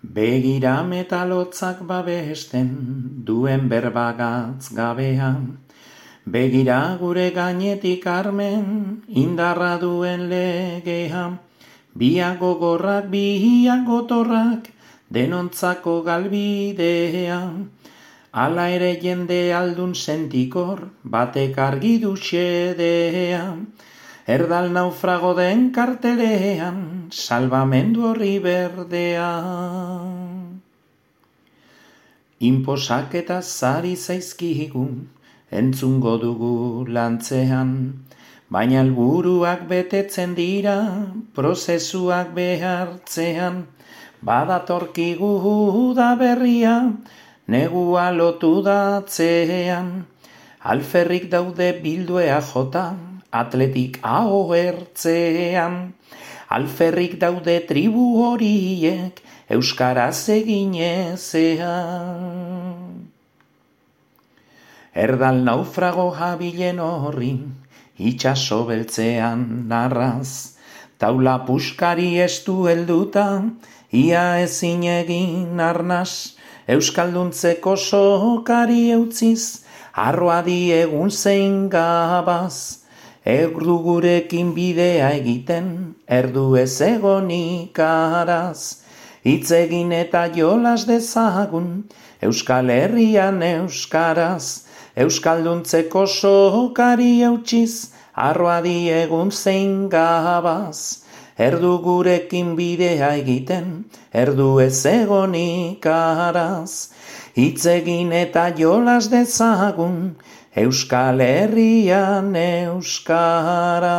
Begira metalotzak babesten duen berbagatz gabean. Begira gure gainetik armen indarra duen legea. Biak gogorrak, biak gotorrak, denontzako galbidea. Hala ere jende aldun sentikor, batek argi du xedea. Erdal naufrago den kartelean, salbamendu horri berdea. Inposak eta zari zaizkigu, entzungo dugu lantzean, baina helburuak betetzen dira, prozesuak behartzean. Badatorkigu da berria, negua lotu datzean. Alferrik daude bilduea jota, atletik hau ertzean. Alferrik daude tribu horiek, euskaraz egin ezean. Erdal naufrago jabilen horri, itxaso beltzean narraz. Taula puskari estu helduta, ia ezin egin arnaz. Euskalduntzeko sokari eutziz, arroa diegun zein gabaz. Erdu gurekin bidea egiten, erdu ez egonik araz. Hitz egin eta jolas dezagun, Euskal Herrian euskaraz. Euskalduntzeko sokari eutziz, arroa diegun zein gabaz. Erdu gurekin bidea egiten, erdu ez egonik araz. Hitz egin eta jolas dezagun, Euskal Herrian euskaraz.